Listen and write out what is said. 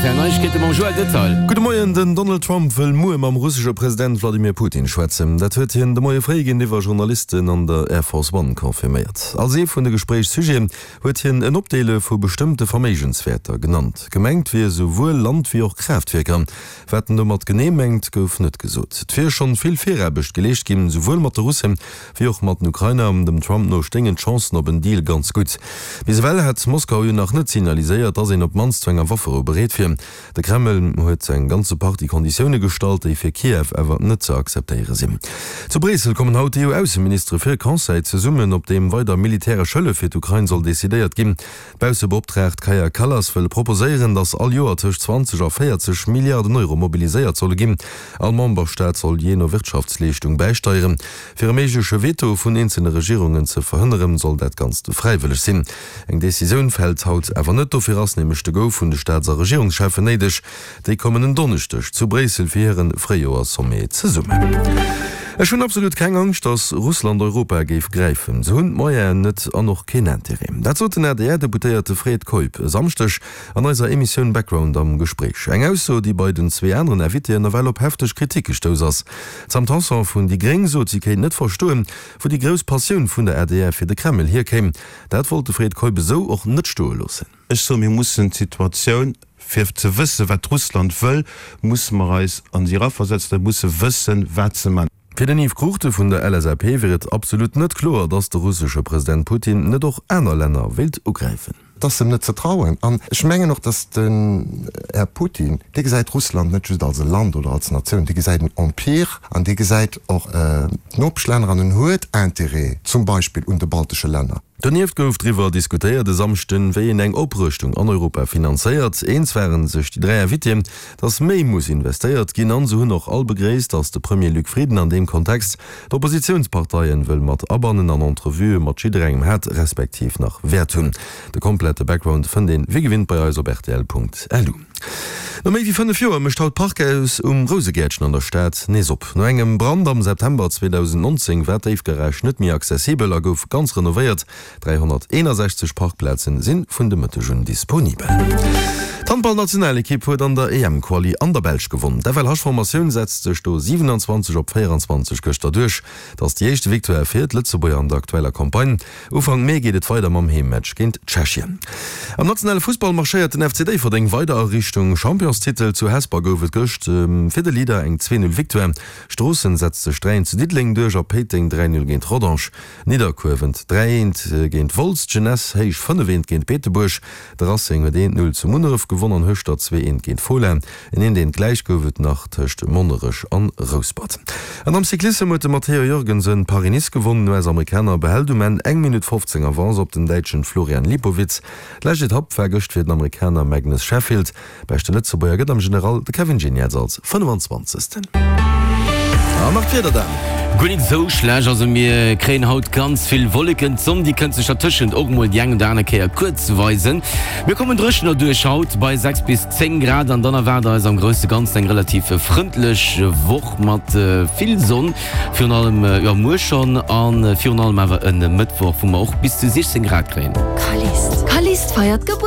RTL Neiegkeete mam Joël Detail. Gudde Moien, Den Donald Trump wëll muer mam russesche President Wladimir Putin schwätzen. Dat huet hien de Moie fréi géintiwwer Journalisten an der Air Force One confirméiert. Als ee vun de Gespréichssujeten huet hien en Opdeele vu bestëmmte Verméigenswäerter genannt. Gemengt wier souwuel Land wéi och Kraaftwierker. Wat en domat genee mengt, gouf net gesot. Et wier schonn vill Viraarbecht geleescht ginn, souwuel mat de Russen, wéi och mat den Ukrainer. Dem Trump no stéingen d'Chancen op en Deal ganz gutt. Bis ewell hätt Moskau jo nach net signaliséiert, datt een op d'mannst zu enger Wafferou bereet wier. De Kreml huet eng ganze Partie Konditioune gestallt, déi fir Kiew awer net ze akzeptéiere sinn. Zu Bréissel kommen haut d'EU-Ausseministere fir e Conseil zesummen, op deem weider militäresch Hëllef fir d'Ukrain soll decidéiert ginn. D'Baussebeoptraagt Kaja Kallas wëll proposéieren, datt all Joer tëscht 20 a 40 Milliarden Euro mobiliséiert solle ginn. All Memberstaat soll jee no Wirtschaftsleeschtung bäisteieren. Fir e méigleche Veto vun eenzele Regierungen ze verhënneren, soll dat Ganzt fräiwëlleg sinn. Eng Decisioun fält haut awer net, dofir ass nämlech de Go vun de Staats a Regierungscheffen néideg. Déi kommen en Donneschdeg zu Bréissel fir hire Fréijoerssommet zesummen. Ech hunn absolut keng Angscht, datt Russland Europa géif gräifen. Se hunn d'Moyenen net an och keen Interêt. Dat sot den ADR-Deputéierte Fred Keup e Samschdeg an eiser Emissioun Background am Gespréich. Eng Ausso, déi bei den zwee aneren Invitéen nawell op hefteg Kritik gestouss ass. D'Sam Tanson vun déi gréng sot, si kéint net verstoen, wou déi grouss Passioun vun der adr fir de Kreml hierkéim. Dat wollt de Fred Keup esou och net stoe loossen. Ech soen, mir mussen d'Situatioun, fir ze wëssen, wat Russland wëll, musse mer eis an si eraversetzen a musse wëssen, wat se man. Fir den Yves Cruchten vun der LSAP wier et absolut net kloer, datt de russesche President Putin net och aner Länner wéilt ugräifen. Et ass em net ze trauen. An ech mengen och, datt den Här Putin, dee gesäit Russland net just als e Land oder als Natioun, dee gesäit en Empire an dee gesäit och d'Nopeschlänner an en huet Intérêt zum Beispill un de baltesche Länner. Donieft gouf driwwer diskutéiert e Samschden, wéi een eng Oprëschtung an Europa finanzéiert. Eens ware sech déi 3 Invitéen, datt méi muss investéiert ginn an se hunn och all begréisst, datt de Premier Luc Frieden an deem Kontext d'Oppositiounsparteien wëll mat abannen an Entrevuë mat jidderengem hat, respektiv nach wäert hunn. De komplette Background fënnt een wéi gewinnt bei eis op rtl.lu. No méi wéi 5 Joer mécht haut d'Parkhaus um Rousegäertchen an der Stad nees op. No engem Brand am September 2019 war d'Déifgarage net méi accessibel a gouf ganz renovéiert. 361 Parkplazen si vun de Mëtteg un disponibel. D'Handballnationalekipp huet an der EM-Quali an der Belsch gewonn. D'FLH-Formatioun setzt sech do 27 op 24 gëschter duerch. Et ass déi éischte Victoire fir d'Lëtzebuerger an der aktueller Campagne. Ufank Mee geet et weider mam Heemmatch géint Tschechien. Am nationale Fussball marschéiert den FC Déifferdeng weider a Richtung Championstitel. Zu Hesper gouf et gëscht fir de Leader eng 2, 0 Victoire. Stroossen setzt sech 3, 1 zu Diddeleng duerch a Péiteng 3, 0 géint Rodange. Nidderkuer wënnt 3, 1 géint Wolz, d'Jeunesse Héich 5, 1 géint Beetebuerg. De Racing huet 1, 0 zu Munneref gewonn an Hueschtert 2, 1 géint Fola. En eent eent gläich gouf et nach tëscht Monnerech an Rouspert. An am Cyclissem huet de Matteo Jorgensen Paris-Nice gewonnen. Den US-Amerikaner behält um Enn eng Minutt 15 Avance op den Däitschen Florian Lipowitz. D'lescht Etapp war gëscht fir den Amerikaner Magnus Sheffield. Beschte Lëtzebuerger gëtt am General de Kevin Geniets als 25. An nach d'Wieder dann. Guer nik esou schlecht, also mir kréien haut ganz vill Wolleken, d'Sonn déi kënnt sech dertëschent och mol déi eng oder aner Kéier kuerz weisen. Mir kommen dréchener duerch haut bei 6 bis 10 Grad an dann erwaart eis am grousse Ganzen eng relativ frëndlech Woch mat vill Sonn, virun allem jo muer schonn a virun allem awer e Mëttwoch, wou mer och bis zu 16 Grad kréien. Callist feiert Gebuertsdag!